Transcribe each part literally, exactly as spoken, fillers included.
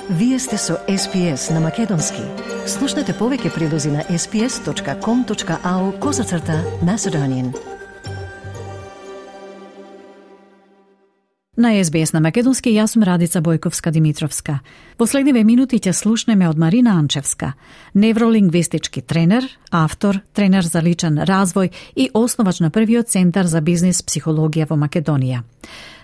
Вие сте со Ес Би Ес на Македонски. Слушнете повеќе прилози на ес би ес точка ком точка ау козацрта Macedonian. На Ес Би Ес на Македонски, јас сум Радица Бојковска-Димитровска. Последниве минути ќе слушнеме од Марина Анчевска, невролингвистички тренер, автор, тренер за личен развој и основач на првиот центар за бизнис психологија во Македонија.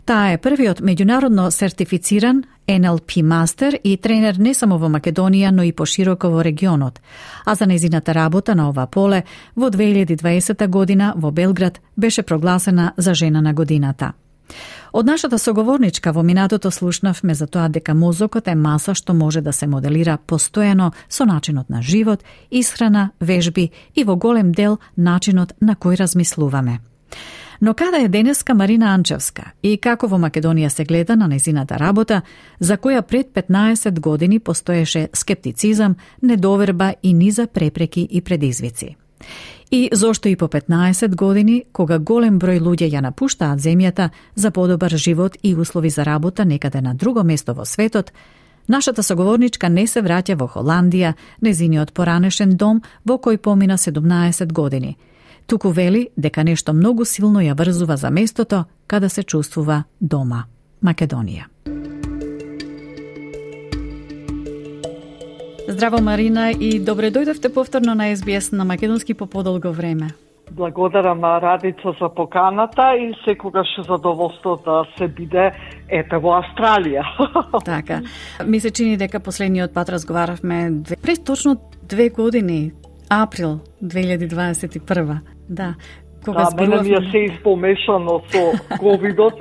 Таа е првиот меѓународно сертифициран Ен Ел Пи мастер и тренер не само во Македонија, но и пошироко во регионот. А за нејзината работа на ова поле во две илјади и дваесета година во Белград беше прогласена за жена на годината. Од нашата соговорничка во минатото слушнавме за тоа дека мозокот е маса што може да се моделира постојано со начинот на живот, исхрана, вежби и во голем дел начинот на кој размислуваме. Но каде е денеска Марина Анчевска и како во Македонија се гледа на нејзината работа, за која пред петнаесет години постоеше скептицизам, недоверба и низа препреки и предизвици? И зошто и по петнаесет години, кога голем број луѓе ја напуштаат земјата за подобар живот и услови за работа некаде на друго место во светот, нашата соговорничка не се враќа во Холандија, незиниот поранешен дом во кој помина седумнаесет години. Туку вели дека нешто многу силно ја врзува за местото каде се чувствува дома, Македонија. Здраво, Марина, и добре дојдовте повторно на Ес Би Ес на Македонски по подолго време. Благодарам, Радица, за поканата и секогаш задоволство да се биде ете во Австралија. Така. Ми се чини дека последниот пат разговаравме пред точно две години, април две илјади дваесет и прва. Да. Кога да, мене ми е се испомешано со ковидот,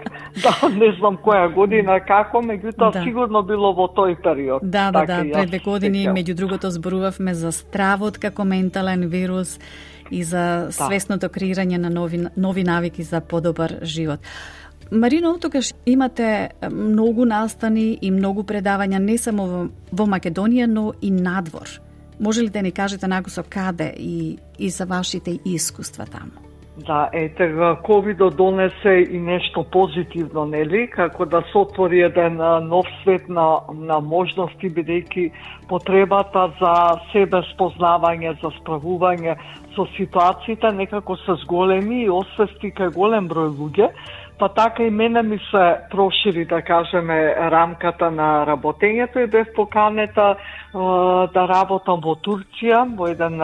да, не знам која година, како, меѓутоа да. Сигурно било во тој период. Да, да, да, пред две години, меѓу другото, зборувавме за стравот како ментален вирус и за да. Свесното креирање на нови, нови навики за подобар живот. Марино, оттогаш имате многу настани и многу предавања не само во, во Македонија, но и надвор. Може ли да ни кажете накусо каде и, и за вашите искуства таму? Да, ете, ковидот донесе и нешто позитивно, нели? Како да се отвори еден нов свет на, на можности, бидејќи потребата за себе спознавање, за справување со ситуациите некако се зголеми и освести кај голем број луѓе, па така и мене ми се прошири, да кажеме, рамката на работењето и бев поканета да работам во Турција, во еден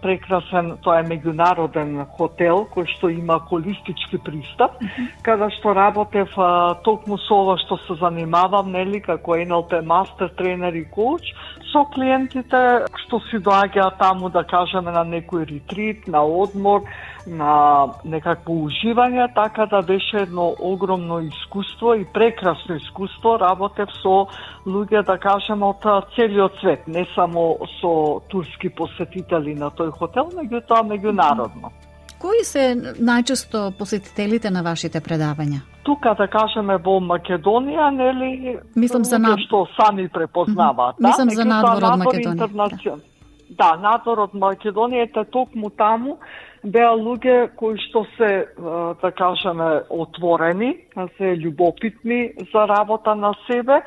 прекрасен, тоа е меѓународен хотел, кој што има холистички пристап, mm-hmm. каде што работев токму со ова што се занимавам, нели, како Ен Ел Пи мастер, тренер и коуч, со клиентите што си доаѓаат таму, да кажеме, на некој ретрит, на одмор, на некакво уживање, така да беше едно огромно искуство и прекрасно искуство. Работев со луѓе, да кажеме, од целиот свет, не само со турски посетители на тој хотел, меѓутоа меѓународно. Кои се најчесто посетителите на вашите предавања? Тука, да кажеме, во Македонија, нели, мислам за над... што сами препознаваат. Mm-hmm. Мислам да? за надвор од Македонија. Интернацион... Да, надвор од Македонија, ете токму таму беа луѓе кои што се, да кажеме, отворени, се љубопитни за работа на себе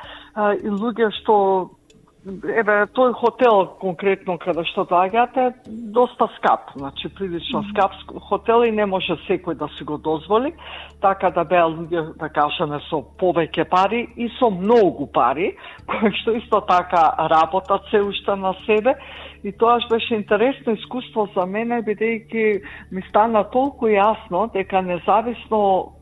и луѓе што, еве, тој хотел конкретно каде што доаѓате, доста скап, значи прилично скап хотел и не може секој да си го дозволи, така да беа луѓе, да кажеме, со повеќе пари и со многу пари, кои што исто така работат се уште на себе. И тоа беше интересно искуство за мене, бидејќи ми стана толку јасно дека независно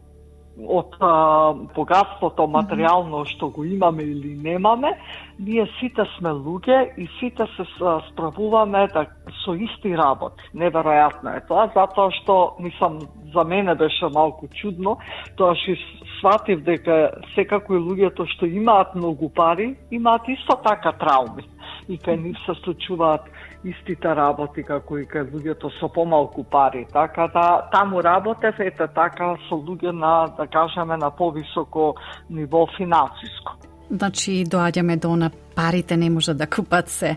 од а, богатството материјално што го имаме или немаме, ние сите сме луѓе и сите се справуваме да, со исти работи. Неверојатно е тоа, затоа што, мислам, за мене беше малку чудно, тоа што сватив дека секако и луѓето што имаат многу пари, имаат исто така трауми. И кај нив се случуваат истите работи како и кај луѓето со помалку пари. Така да таму работев ете така со луѓе на, да кажеме, на повисоко ниво финансиско. Значи доаѓаме до на парите не може да купат се,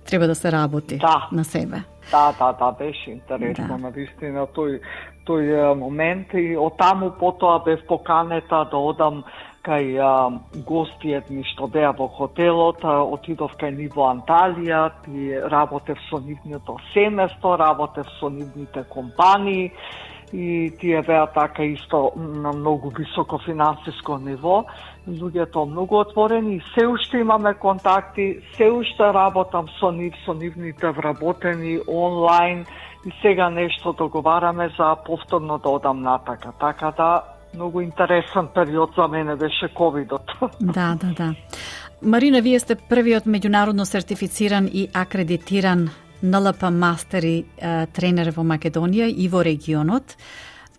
треба да се работи да. на себе. Да, да, да, беше интересно, да. Навистина тој тој момент и од таму потоа бев поканета да одам кај а, гости едни што беа во хотелот, а, отидов кај нив во Анталија и работев со нивното семејство, работев со нивните компании и тие беа така исто на многу високо финансиско ниво. Луѓето многу отворени и се уште имаме контакти, се уште работам со нив, со нивните вработени онлайн и сега нешто договараме за повторно да одам натака. Така да, многу интересен период за мене беше ковидот. Да, да, да. Марина, вие сте првиот меѓународно сертифициран и акредитиран Н Л П мастер и е, тренер во Македонија и во регионот.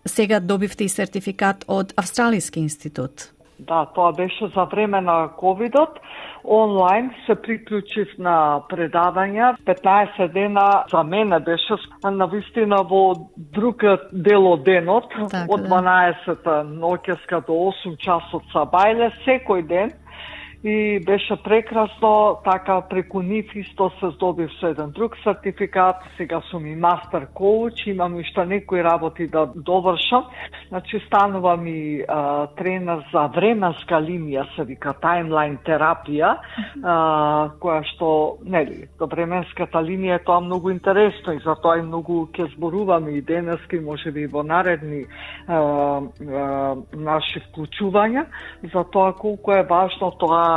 Сега добивте и сертификат од Австралиски институт. Да, тоа беше за време на ковидот. Онлайн се приклучив на предавања. петнаесет дена за мене беше навистина во друг дел од денот, так, од дванаесет ноќеска до осум часот са бајле секој ден. И беше прекрасно, така преку нив исто се здобив со еден друг сертификат, сега сум и мастер коуч, имам уште некои работи да довршам, значи станувам и а, тренер за временска линија, се вика таймлайн терапија, а, која што, нели, до временската линија е тоа многу интересно и затоа и многу ќе зборуваме и денески, можеби и во наредни а, а, наши вклучувања, за тоа колку е важно тоа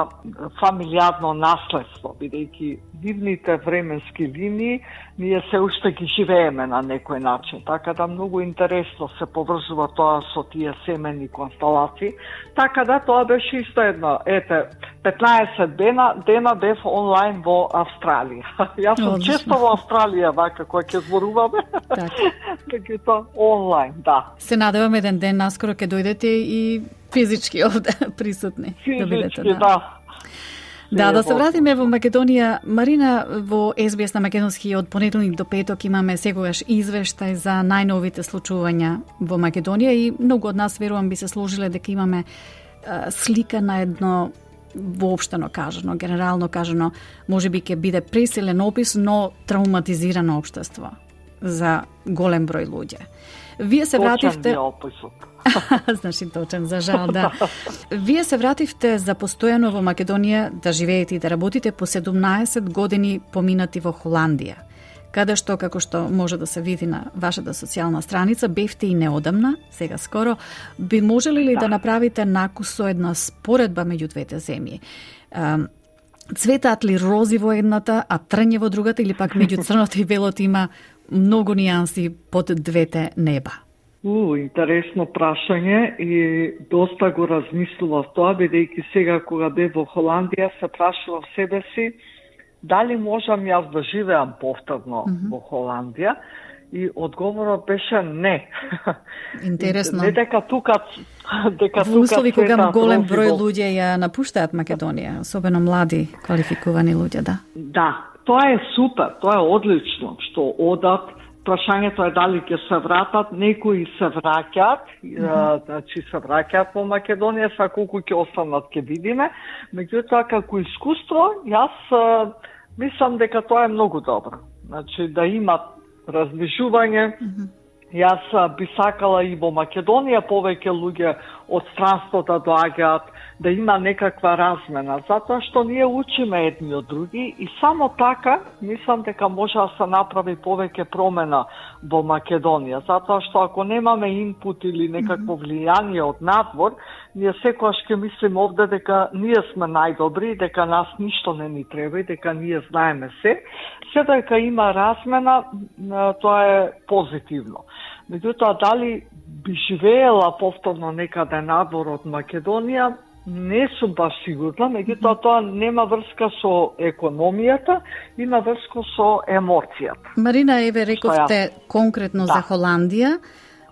фамилијарно наследство, бидејќи нивните временски линии ние се уште ги живееме на некој начин. Така да многу интересно се поврзува тоа со тие семени констелации. Така да тоа беше исто едно. Ете, петнаесет дена, дена бев онлайн во Австралија. Јас сум често во Австралија, вака, која ќе зборуваме. Така тоа онлайн, да. Се надевам еден ден наскоро ќе дојдете и физички овде присутни. Физички, да бидете, да. да. Да, да се вратиме во Македонија. Марина, во Ес Би Ес на македонски од понеделник до петок имаме секогаш извештај за најновите случувања во Македонија и многу од нас, верувам, би се сложиле дека имаме а, слика на едно воопштено кажано, генерално кажано, можеби ќе биде пресилен опис, но травматизирано општество за голем број луѓе. Вие се вративте... Значи точен, за жал, да. Вие се вративте за постојано во Македонија да живеете и да работите по седумнаесет години поминати во Холандија, каде што, како што може да се види на вашата социјална страница, бевте и неодамна, сега скоро, би можели ли да, да направите накус со една споредба меѓу двете земји? Цветаат ли рози во едната, а трње во другата, или пак меѓу црното и белото има многу нијанси под двете неба? У, интересно прашање и доста го размислував тоа, бидејќи сега кога бев во Холандија се прашував себе си дали можам јас да живеам повторно mm-hmm. во Холандија и одговорот беше не. Интересно. Не дека тука дека во услови тука кога голем број во... луѓе ја напуштаат Македонија, особено млади квалификувани луѓе, да. Да, тоа е супер, тоа е одлично што одат. Прашањето е дали ќе се вратат, некои се враќаат, mm-hmm. значи се враќаат во Македонија, са колку ќе останат ќе видиме. Меѓутоа, како искуство, јас мислам дека тоа е многу добро. Значи да имат размишување. Mm-hmm. Јас би сакала и во Македонија повеќе луѓе од странство да доаѓаат, да има некаква размена, затоа што ние учиме едни од други и само така мислам дека може да се направи повеќе промена во Македонија, затоа што ако немаме инпут или некакво влијание од надвор, ние секогаш ќе мислиме овде дека ние сме најдобри, дека нас ништо не ни треба и дека ние знаеме се. Се дека има размена, тоа е позитивно. Меѓутоа, дали би живеела повторно некаде надвор од Македонија, не сум баш сигурна, меѓутоа тоа нема врска со економијата, има врска со емоцијата. Марина, еве рековте ја... конкретно да. за Холандија.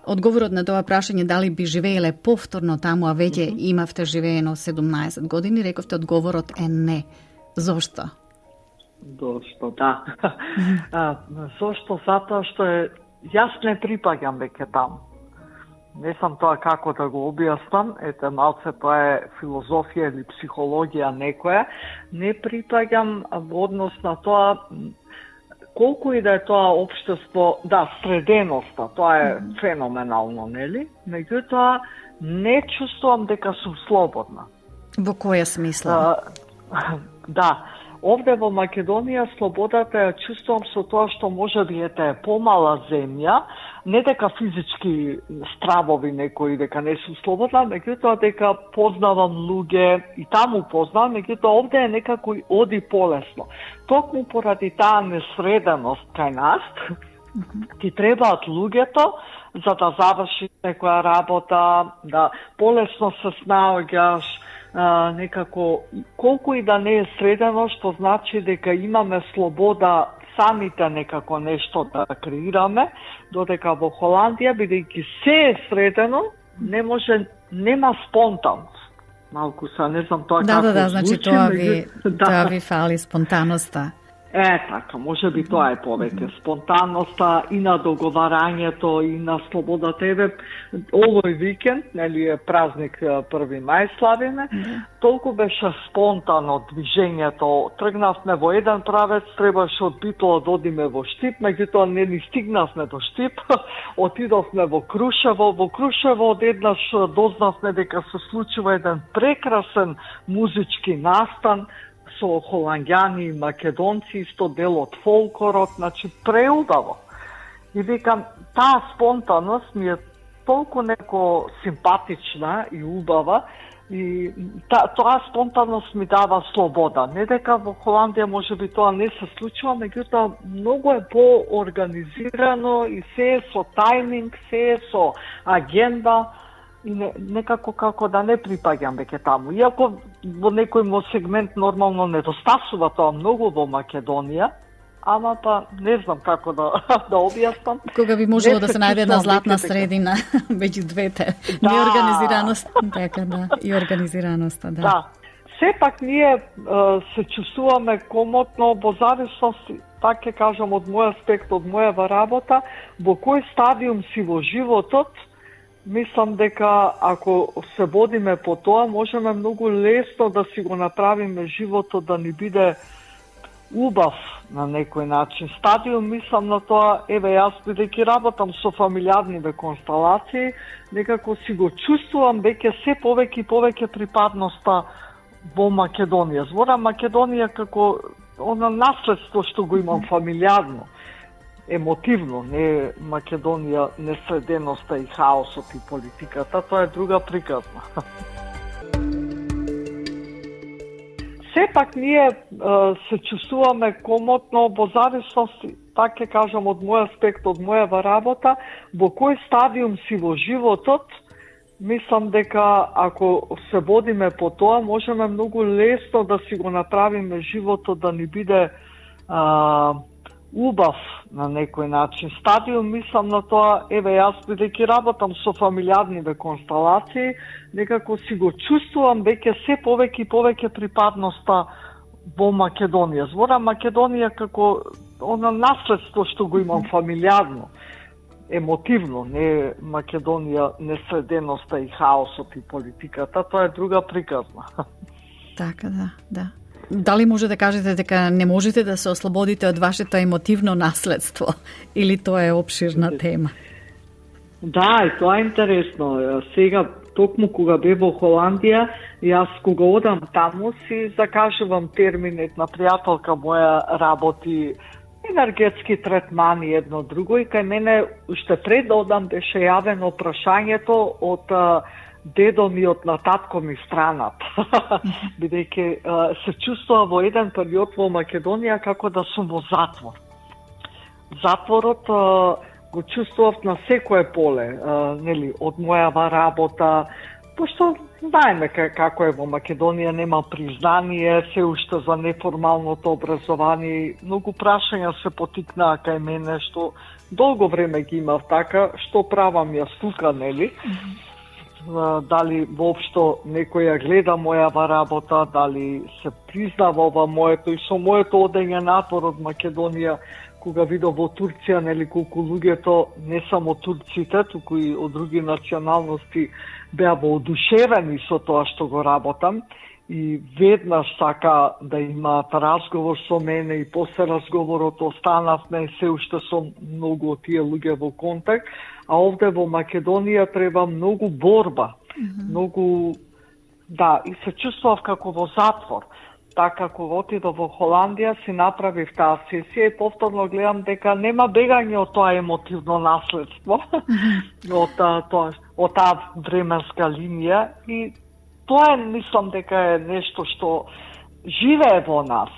Одговорот на тоа прашање дали би живееле повторно таму, а веќе mm-hmm. имавте живеено седумнаесет години, рековте одговорот е не. Зошто? Зошто, да. Mm-hmm. а, зошто? Затоа што е јас не припаѓам веќе таму. Не сам тоа како да го објаснам, ете малце тоа е филозофија или психологија некоја, не припаѓам во однос на тоа колку и да е тоа општество, да, среденоста, тоа е феноменално, нели? Меѓутоа, не чувствувам дека сум слободна. Во која смисла? А, да, овде во Македонија слободата ја чувствувам со тоа што може би ете е помала земја, не дека физички стравови некои дека не сум слободна, меѓутоа дека познавам луѓе и таму познавам, меѓутоа овде е некако оди полесно. Токму поради таа несреденост кај нас, ти требаат луѓето за да завршиш некоја работа, да полесно се снаоѓаш, а, некако, колку и да не е средено, што значи дека имаме слобода самите некако нешто да креираме, додека во Холандија, бидејќи се е средено, не може, нема спонтанност. Малку са, не знам тоа да, како да, да, значи звучи, тоа ви, да. тоа ви фали спонтаноста. Е, така, може би тоа е повеќе. Спонтанноста и на договарањето, и на слободата. Еве, овој викенд, нели е празник први мај славиме, толку беше спонтано движењето. Тргнавме во еден правец, требаше од Битола да одиме во Штип, меѓутоа не ни стигнавме до Штип, отидовме во Крушево. Во Крушево одеднаш дознавме дека се случува еден прекрасен музички настан, со холанѓани и македонци, исто дел од фолклорот, значи преубаво. И викам, таа спонтанност ми е толку неко симпатична и убава, и та, тоа спонтанност ми дава слобода. Не дека во Холандија може би тоа не се случува, меѓутоа многу е по-организирано и се е со тајминг, се е со агенда, и не, некако како да не припаѓам веќе таму. Иако во некој мо сегмент нормално недостасува тоа многу во Македонија, ама па не знам како да да објаснам. Кога би можело да се најде една златна средина меѓу двете. Да. Неорганизираност, така да, и организираноста, да. Да. Сепак ние се чувствуваме комотно во зависност, така ќе кажам, од мој аспект, од мојава работа, во кој стадиум си во животот. Мислам дека ако се водиме по тоа, можеме многу лесно да си го направиме животот да ни биде убав на некој начин. Стадиум, мислам на тоа, еве јас бидејќи работам со фамилиарниве констелации, некако си го чувствувам веќе се повеќе и повеќе припадноста во Македонија. Зборам Македонија како она наследство што го имам фамилиарно. Емотивно, не Македонија, несреденоста и хаосот и политиката, тоа е друга приказна. Сепак ние е, се чувствуваме комотно во зависност, така ќе кажам, од мој аспект, од мојава работа, во кој стадиум си во животот. Мислам дека ако се водиме по тоа, можеме многу лесно да си го направиме животот да ни биде а, убав на некој начин. Стадиум, мислам на тоа, еве јас бидејќи работам со фамилиарниве констелации, некако си го чувствувам веќе се повеќе и повеќе припадноста во Македонија. Зборам Македонија како она наследство што го имам фамилиарно, емотивно, не Македонија, несреденоста и хаосот и политиката, тоа е друга приказна. Така да, да. Дали може да кажете дека не можете да се ослободите од вашето емотивно наследство или тоа е опширна тема? Да, и тоа е интересно. Сега, токму кога бе во Холандија, јас кога одам таму си закажувам терминет на пријателка моја работи енергетски третмани едно друго и кај мене уште пред да одам беше јавено прашањето од дедо ми од на татко ми странат. Бидејќи се чувствува во еден период во Македонија како да сум во затвор. Затворот го чувствував на секое поле, нели, од мојава работа, пошто знаеме како е во Македонија, нема признание, се уште за неформалното образование, многу прашања се потикнаа кај мене, што долго време ги имав така, што правам јас тука, нели? Дали воопшто некој ја гледа мојава работа, дали се признава ова моето и со моето одење надвор од Македонија, кога видов во Турција, нели, колку луѓето, не само турците, туку и од други националности, беа воодушевени со тоа што го работам. и веднаш сака да имаат разговор со мене и после разговорот останавме се уште со многу од тие луѓе во контакт, а овде во Македонија треба многу борба, mm-hmm. многу, да, и се чувствував како во затвор. Така, кога отидов во Холандија, си направив таа сесија и повторно гледам дека нема бегање од тоа емотивно наследство, mm-hmm. од, тоа, од таа временска линија и тоа е, мислам дека е нешто што живее во нас.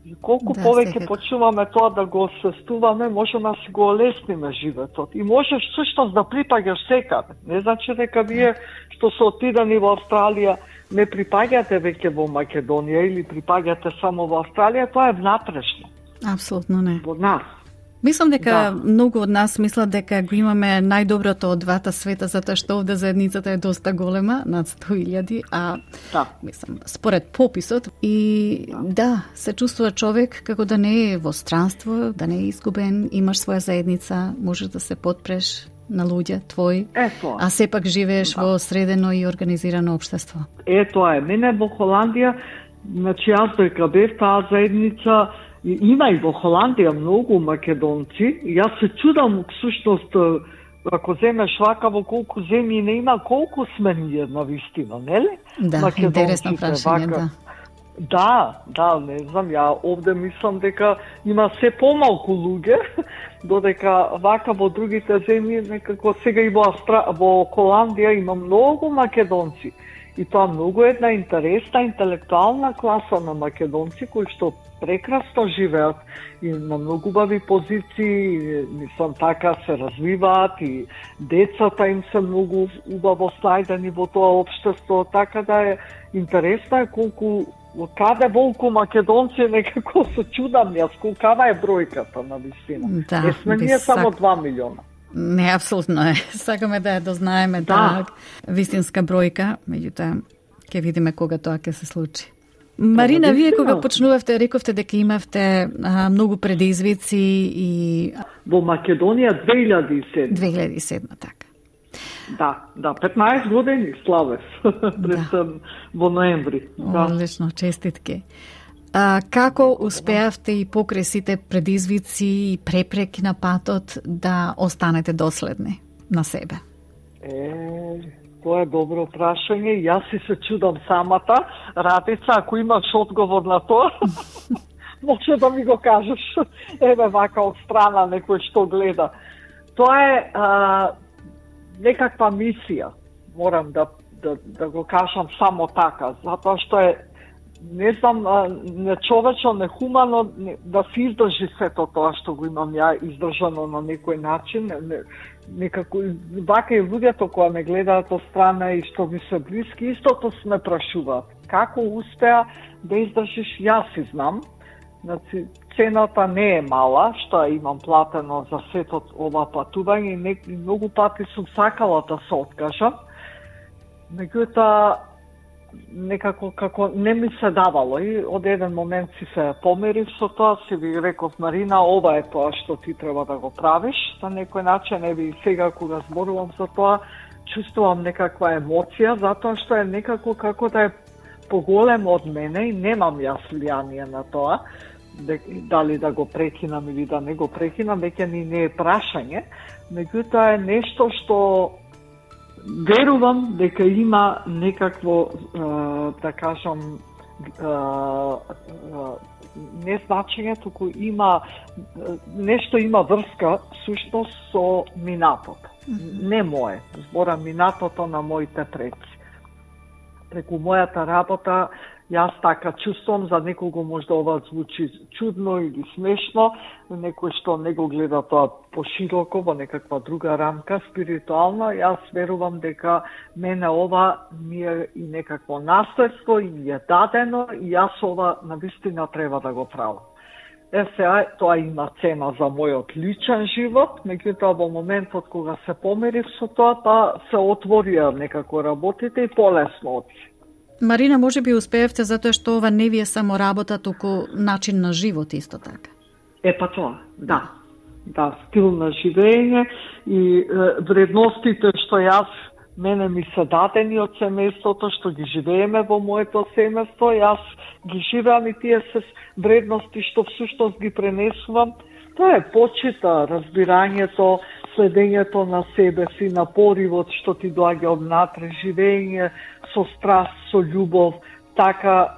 И колку да, повеќе секако почуваме тоа да го освестуваме, можеме да си го олесниме животот. И можеш всушност да припаѓаш секаде. Не значи дека вие што се отидени во Австралија не припаѓате веќе во Македонија или припаѓате само во Австралија, тоа е внатрешно. Апсолутно не. Во нас. Мислам дека да. многу од нас мислат дека го имаме најдоброто од двата света, затоа што овде заедницата е доста голема, над сто илјади, а да. мислам, според пописот и да. да, се чувствува човек како да не е во странство, да не е изгубен, имаш своја заедница, можеш да се потпреш на луѓе твои, Ето. а сепак живееш да. во средено и организирано општество. Е, тоа е. Мене во Холандија, значи јас дека бев таа заедница, има и во Холандија многу македонци, и јас се чудам, всушност, ако земеш вака во колку земји не има, колку сме ние на вистина, нели? Да, интересно прашање, да. Да, да, не знам, ја овде мислам дека има се помалку луѓе, додека вака во другите земји, некако сега и во, Австра... во Холандија има многу македонци. И тоа многу една интересна интелектуална класа на македонци кои што прекрасно живеат и на многу убави позиции, мислам така се развиваат и децата им се многу убаво снајдени во тоа општество, така да е интересно е колку каде волку македонци некако се чудам јас, колкава е бројката на вистина. Да, не сме ние сак... само два милиона. Не, апсолутно е. Сакаме да ја дознаеме да. таа вистинска бројка, меѓутоа ќе видиме кога тоа ќе се случи. Марина, вие кога почнувавте, рековте дека имавте а, многу предизвици и... Во Македонија две илјади и седма. две илјади и седма, така. Да, да, петнаесет години славев пред да. во ноември. Да. Одлично, честитки. А, како успеавте и покрај сите предизвици и препреки на патот да останете доследни на себе? Е, тоа е добро прашање. Јас си се чудам самата. Радица, ако имаш одговор на тоа, може да ми го кажеш. Еве вака од страна некој што гледа. Тоа е а, некаква мисија. Морам да, да, да го кажам само така, затоа што е не знам, нечовечно, нехумано да се издржи сето тоа што го имам ја издржано на некој начин. Не, некако, вака и луѓето кои ме гледаат од страна и што ми се блиски, истото се прашуваат. Како успеа да издржиш, јас си знам. Значи, цената не е мала, што имам платено за сето ова патување и многу пати сум сакала да се откажам. Меѓутоа, некако како не ми се давало и од еден момент си се померив со тоа, си ви реков, Марина, ова е тоа што ти треба да го правиш, за некој начин, еви сега кога зборувам за тоа, чувствувам некаква емоција, затоа што е некако како да е поголемо од мене и немам јас влијание на тоа, дали да го прекинам или да не го прекинам, веќе ни не е прашање, меѓутоа е нешто што верувам дека има некакво, да кажам, не значење, туку има нешто има врска сушност со минатото. Не мое, зборам минатото на моите предци. Преку мојата работа јас така чувствувам, за некого може да ова звучи чудно или смешно, некој што не го гледа тоа пошироко во некаква друга рамка, спиритуално, јас верувам дека мене ова ми е и некакво наследство и ми е дадено и јас ова навистина треба да го правам. Е, сега, тоа има цена за мојот личен живот, меѓутоа во моментот кога се померив со тоа, па се отворија некако работите и полесно оти. Марина, може би успеевте затоа што ова не ви е само работа, туку начин на живот исто така. Е, па тоа, да. Да, стил на живење и е, вредностите што јас мене ми се дадени од семејството, што ги живееме во моето семејство, јас ги живеам и тие се вредности што всушност ги пренесувам. Тоа е почита, разбирањето, следењето на себе си, на поривот што ти доаѓа однатре, живење со страст, со љубов, така,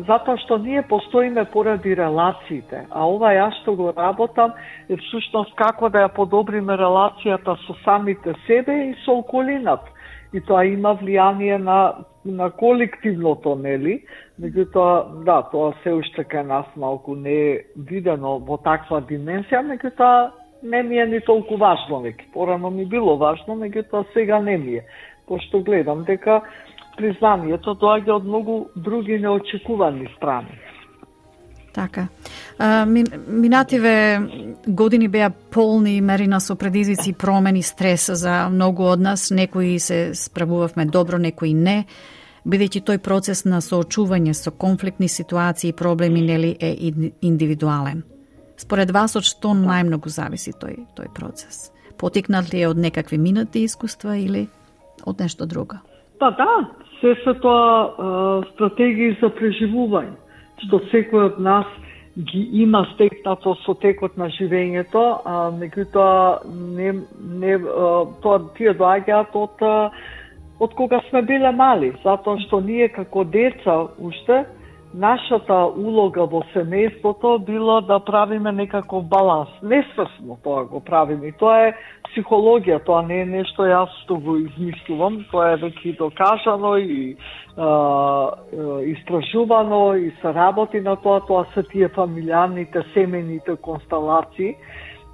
затоа што ние постоиме поради релациите, а ова јас што го работам е всушност како да ја подобриме релацијата со самите себе и со околината. И тоа има влијание на, на колективното, нели? Меѓутоа, да, тоа се уште кај нас малку не е видено во таква дименсија, меѓутоа не ми е ни толку важно веќе. Порано ми било важно, меѓутоа сега не ми е. Пошто гледам дека признанието доаѓа од многу други неочекувани страни. Така. А, минативе години беа полни, Марина, со предизвици, промени, стрес за многу од нас. Некои се справувавме добро, некои не. Бидејќи тој процес на соочување со конфликтни ситуации и проблеми, нели, е индивидуален. Според вас, од што најмногу зависи тој, тој процес? Потикнат ли е од некакви минати искуства или од нешто друго? Па да, се се тоа стратегии за преживување, што секој од нас ги има стекнато со текот на живењето, а меѓутоа не, не, тоа тие доаѓаат од, од кога сме биле мали, затоа што ние како деца уште нашата улога во семејството било да правиме некаков баланс. Несвесно тоа го правиме. И тоа е психологија, тоа не е нешто јас што го измислувам, тоа е веќе докажано и а, истражувано и се работи на тоа, тоа се тие фамилиарните, семејните констелации.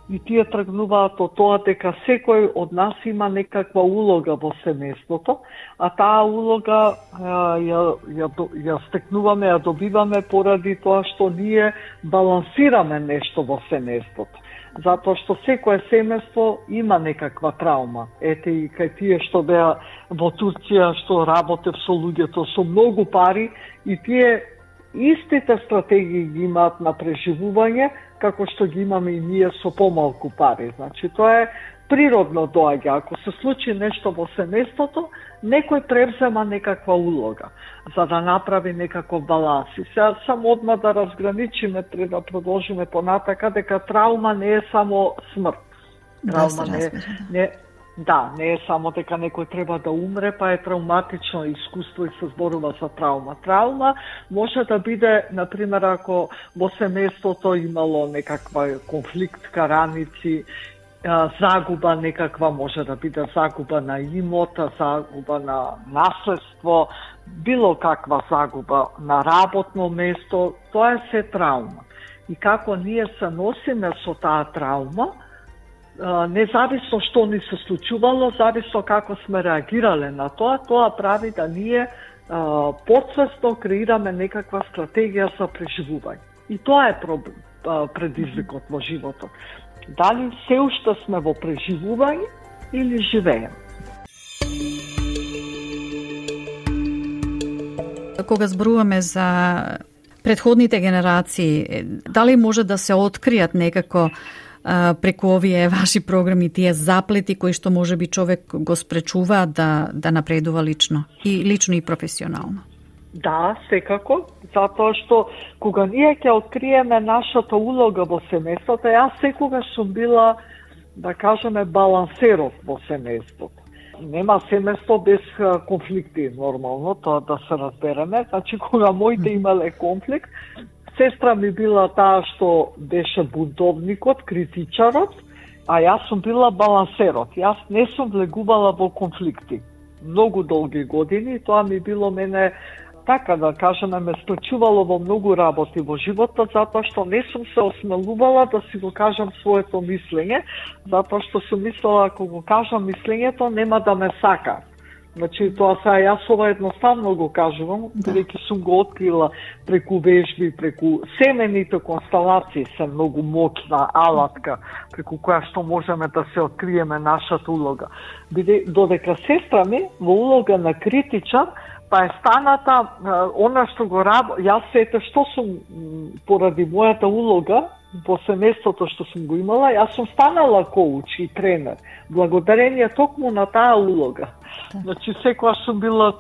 И тие тргнуваат од тоа дека секој од нас има некаква улога во семејството, а таа улога ја, ја, ја стекнуваме, ја добиваме поради тоа што ние балансираме нешто во семејството. Затоа што секое семејство има некаква травма. Ете и кај тие што беа во Турција, што работев со луѓето со многу пари, и тие истите стратегии ги имаат на преживување, како што ги имаме и ние со помалку пари. Значи, тоа е природно доаѓа. Ако се случи нешто во семејството, некој превзема некаква улога за да направи некаков баланс. И сега само одма да разграничиме, треба да продолжиме понатака, дека травма не е само смрт. Травма не е, не, да, не е само дека некој треба да умре, па е травматично искуство и се зборува за травма. Травма може да биде, например, ако во семејството имало некаква конфликт, раници, загуба некаква, може да биде загуба на имота, загуба на наследство, било каква загуба на работно место, тоа е се травма. И како ние се носиме со таа травма, независно што ни се случувало, зависно како сме реагирале на тоа, тоа прави да ние а, подсвесно креираме некаква стратегија за преживување. И тоа е проблем, а, предизвикот во животот. Дали се уште сме во преживување или живееме? Кога зборуваме за предходните генерации, дали може да се откријат некако преку овие ваши програми тие заплети кои што може би човек го спречува да, да напредува лично и лично и професионално? Да, секако, затоа што кога ние ќе откриеме нашата улога во семејството, јас секогаш сум била, да кажеме, балансерот во семејството. Нема семејство без конфликти, нормално, тоа да се разбереме. Значи, кога моите имале конфликт, сестра ми била таа што беше бунтовникот, критичарот, а јас сум била балансерот. Јас не сум влегувала во конфликти многу долги години, тоа ми било мене, така да кажеме, ме спречувало во многу работи во животот, затоа што не сум се осмелувала да си го кажам своето мислење, затоа што сум мислела, ако го кажам мислењето, нема да ме сака. Значи, тоа сега јас ова едноставно го кажувам, бидејќи сум го открила преку вежби, преку семените констелации, се многу моќна алатка, преку која што можеме да се откриеме нашата улога. Биде, додека сестра ми во улога на критичар, па е станата, она што го раб, јас сете што сум, поради мојата улога во семејството што сум го имала, јас сум станала коуч и тренер, благодарение токму на таа улога. Да. Значи, секогаш сум била,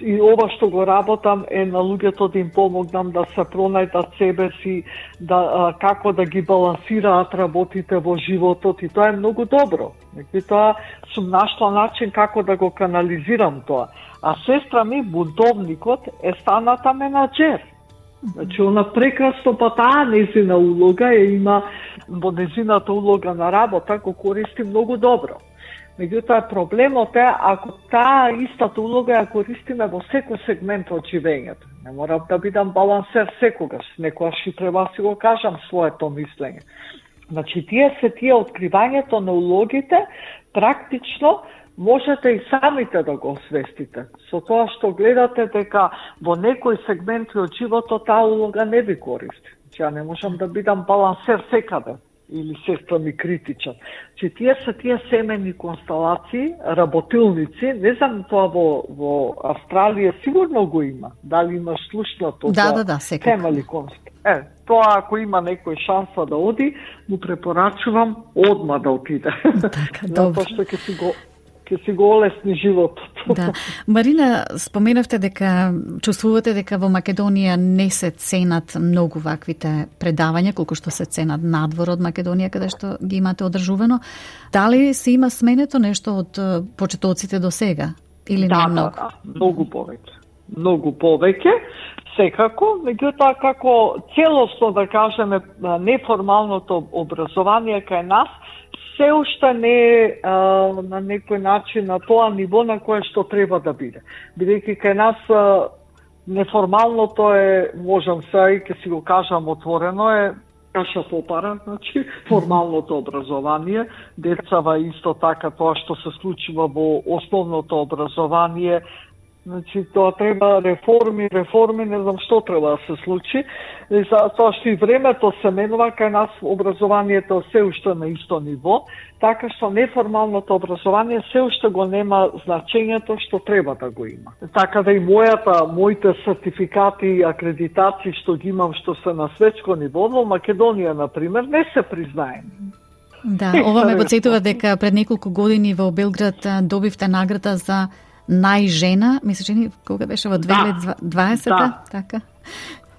и ова што го работам е на луѓето да им помогнам да се пронајдат себе си, да а, како да ги балансираат работите во животот, и тоа е многу добро. И тоа сум нашла начин како да го канализирам тоа. А сестра ми, бунтовникот, е станата менаџер. Значи, она прекрасно, па таа незина улога е има, во незината улога на работа, го користи многу добро. Меѓутоа, проблемот е ако таа истата улога ја користиме во секој сегмент од живењето. Не морам да бидам балансер секогаш, некогаш и треба да си го кажам своето мислење. Значи, тие се тие откривањето на улогите, практично можете и самите да го освестите. Со тоа што гледате дека во некој сегмент од животот таа улога не ви користи. Значи, ја не можам да бидам балансер секаде, или сестра ми критичен. Че тие се тие семени констелации, работилници, не знам тоа во, во Австралија сигурно го има. Дали имаш слушнато да, за да, да, семени констелации? Е, тоа ако има некој шанса да оди, му препорачувам одма да отиде. Така, добро. Затоа што ќе си го ќе си го олесни животот. Да. Марина, споменавте дека чувствувате дека во Македонија не се ценат многу ваквите предавања, колку што се ценат надвор од Македонија, каде што ги имате одржувано. Дали се има сменето нешто од почетоците до сега? Или да, не многу? Да, да, многу повеќе. Многу повеќе, секако, меѓутоа како целосно да кажеме неформалното образование кај нас се уште не е а, на некој начин на тоа ниво на кое што треба да биде. Бидејќи кај нас а, неформалното е, можам се и ќе си го кажам отворено, е каша попара, значи формалното образование, децава исто така тоа што се случува во основното образование. Значи, тоа треба реформи, реформи, не знам што треба да се случи. И за тоа што и времето се менува, кај нас образованието се уште на исто ниво, така што неформалното образование се уште го нема значењето што треба да го има. Така да и мојата, моите сертификати и акредитации што ги имам, што се на светско ниво, во Македонија, например, не се признаени. Да, ова ме потсетува дека пред неколку години во Белград добивте награда за најжена, мисля, че кога беше во две илјади и дваесета, да. Така.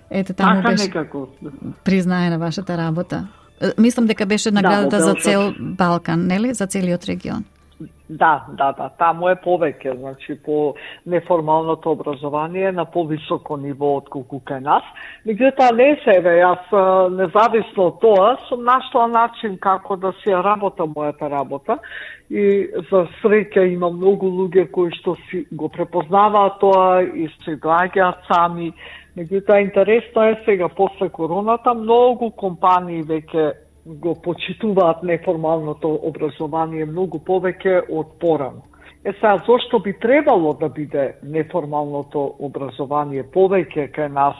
Ете, таму така беше некако признаена вашата работа. Мислам дека беше наградата да, за цел Балкан, нели? За целиот регион. Да, да, да, таму е повеќе, значи по неформалното образование на повисоко ниво отколку кај нас. Меѓутоа не се еве, јас независно од тоа сум нашла начин како да си работам мојата работа и за среќа има многу луѓе кои што си го препознаваат тоа и се доаѓаат сами. Меѓутоа интересно е сега после короната многу компании веќе го почитуваат неформалното образование многу повеќе од порано. Е сега, зошто би требало да биде неформалното образование повеќе кај нас,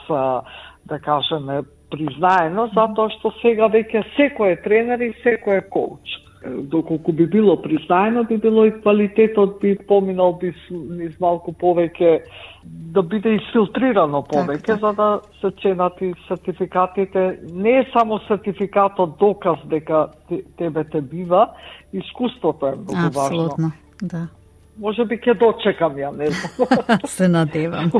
да кажеме, признаено, затоа што сега веќе секој е тренер и секој е коуч. Доколку би било признаено, би било и квалитетот би поминал би низ малку повеќе, да биде изфилтрирано повеќе, так, так. За да се ценат и сертификатите. Не е само сертификатот доказ дека тебе те бива, искуството е многу важно. Апсолутно, да. Може би ќе дочекам ја, не знам. Се надевам.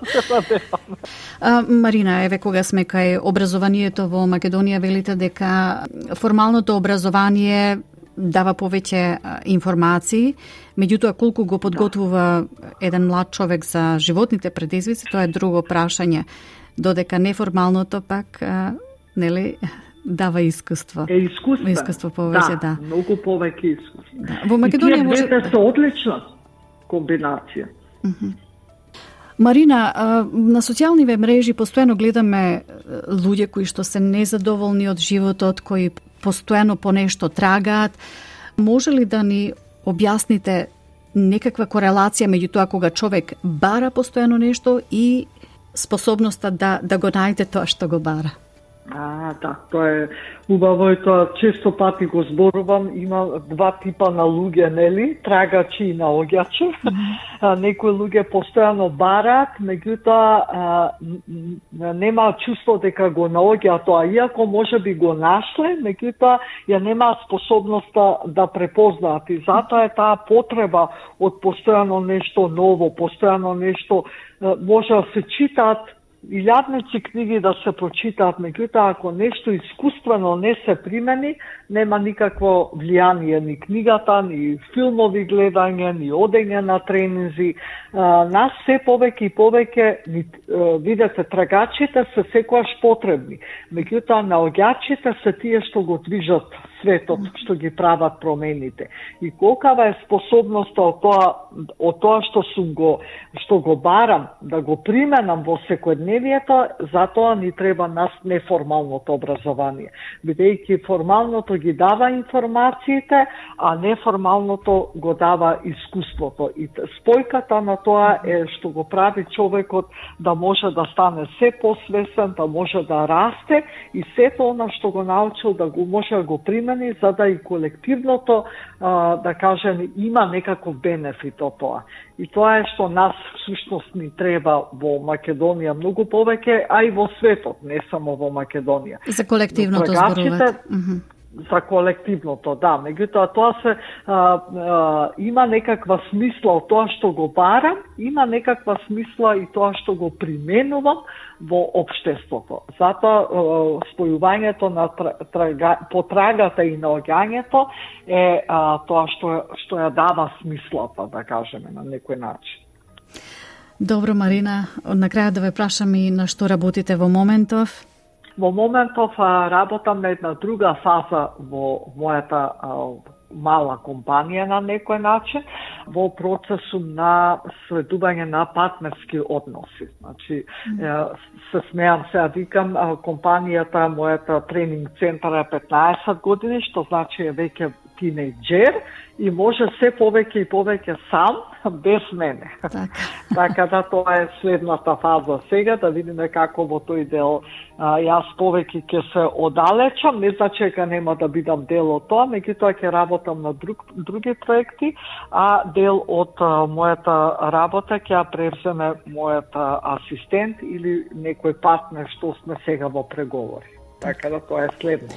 Се надевам. А, Марина, еве кога сме кај образованието во Македонија, велите дека формалното образование дава повеќе информации, меѓутоа колку го подготвува еден млад човек за животните предизвици, тоа е друго прашање. Додека неформалното пак, а, нели, дава искуство. Е искуство. Искуство повеќе, да. Да, многу повеќе искуство. Да. Во Македонија може... И тие двете се одлична комбинација. Uh-huh. Марина, на социјалниве мрежи постојано гледаме луѓе кои што се незадоволни од животот, кои постојано по нешто трагаат. Може ли да ни објасните некаква корелација меѓу тоа кога човек бара постојано нешто и способноста да, да го најде тоа што го бара? А, да, тоа е убаво и тоа често пати го зборувам, има два типа на луѓе, нели, трагачи и наоѓачи. Mm-hmm. Некои луѓе постојано бараат, меѓутоа нема чувство дека го наоѓа тоа, иако може би го нашле, меѓутоа ја нема способноста да препознаат и затоа е таа потреба од постојано нешто ново, постојано нешто може да се читаат илјадници книги да се прочитаат, меѓутоа ако нешто искуствено не се примени, нема никакво влијание ни книгата, ни филмови гледање, ни одење на тренинзи. А, нас се повеќе и повеќе, видете, трагачите се секојаш потребни, меѓутоа наоѓачите се тие што го движат светот, што ги прават промените. И колкава е способноста од тоа, од тоа што сум го, што го барам, да го применам во секојдневието, затоа ни треба нас неформалното образование. Бидејќи формалното ги дава информациите, а неформалното го дава искуството. И спојката на тоа е што го прави човекот да може да стане се посвесен, да може да расте и сето она што го научил да го може да го примени, за да и колективното, а, да кажем, има некаков бенефит од тоа. И тоа е што нас всушност ни треба во Македонија многу повеќе, а и во светот, не само во Македонија. За колективното зборувате. За колективното, да. Меѓутоа, тоа се а, а, има некаква смисла од тоа што го барам, има некаква смисла и тоа што го применувам во општеството. Затоа спојувањето на трага, потрагата и наоѓањето е а, тоа што, што ја дава смислата, да кажеме, на некој начин. Добро, Марина, на крајот да ве прашам и на што работите во моментов? Во моментов работам на една друга фаза во мојата а, мала компанија на некој начин, во процесу на следување на партнерски односи. Значи, mm. се смеам сега, викам, компанијата, мојата тренинг центар е петнаесет години, што значи е веќе тинејџер и може се повеќе и повеќе сам, без мене. Так. Така да тоа е следната фаза сега, да видиме како во тој дел а, јас повеќе ќе се оддалечам, не значи дека нема да бидам дел од тоа, меѓутоа ќе работам на друг, други проекти, а дел од а, мојата работа ќе ја превземе мојата асистент или некој партнер што сме сега во преговори. Така да тоа е следното.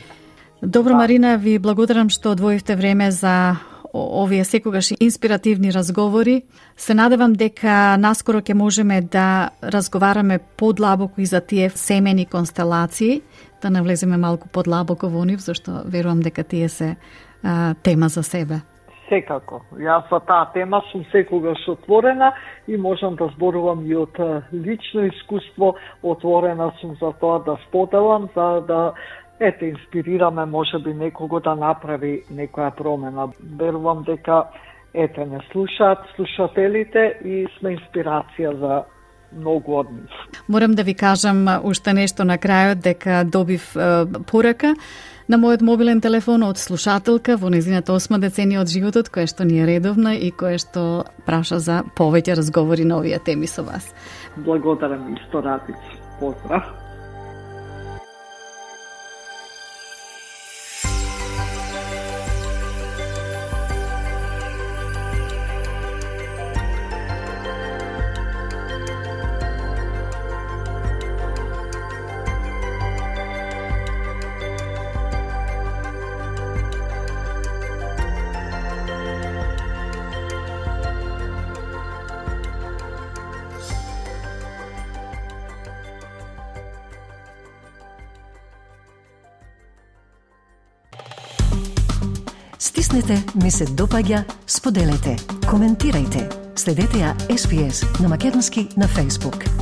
Добро, Марина, ви благодарам што одвоивте време за овие секогаш инспиративни разговори. Се надевам дека наскоро ќе можеме да разговараме подлабоко и за тие семени констелации, да навлеземе малку подлабоко во нив, зашто верувам дека тие се а, тема за себе. Секако. Јас за таа тема сум секогаш отворена и можам да зборувам и од лично искуство, отворена сум за тоа да споделам, за да ете, инспирираме можеби некого да направи некоја промена. Верувам дека ете не слушаат слушателите и сме инспирација за многу од нив. Морам да ви кажам уште нешто на крајот, дека добив е, порака на мојот мобилен телефон од слушателка во незината осма деценија од животот, која што ни е редовна и која што праша за повеќе разговори на овие теми со вас. Благодарам исто, Радици. Поздрав. Стиснете, ми се допаѓа, споделете, коментирајте. Следете ја Ес Би Ес на македонски на Facebook.